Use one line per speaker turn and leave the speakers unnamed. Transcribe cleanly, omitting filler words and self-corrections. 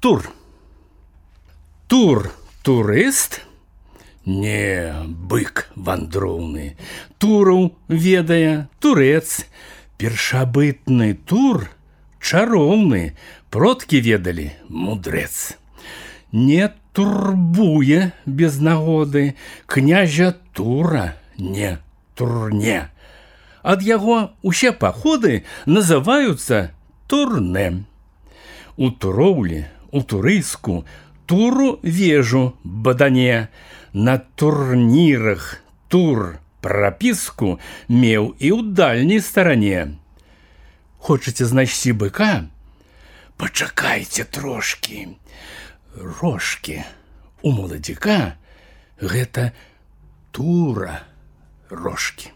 Тур. Тур турыст? Не, бык вандроўны. Тураў ведае турэц. Першабытны тур чароўны. Продкі ведалі мудрэц. Не турбуе без нагоды князя Тура не турне. Ад яго усе паходы называюцца турне. У туроўлі, у турыску туру вежу бадане. На турнірах тур прапіску меў і ў дальняй старане. Хочаце знайсці быка? Пачакайце трошкі. Рожкі у моладзіка гэта тура рожкі.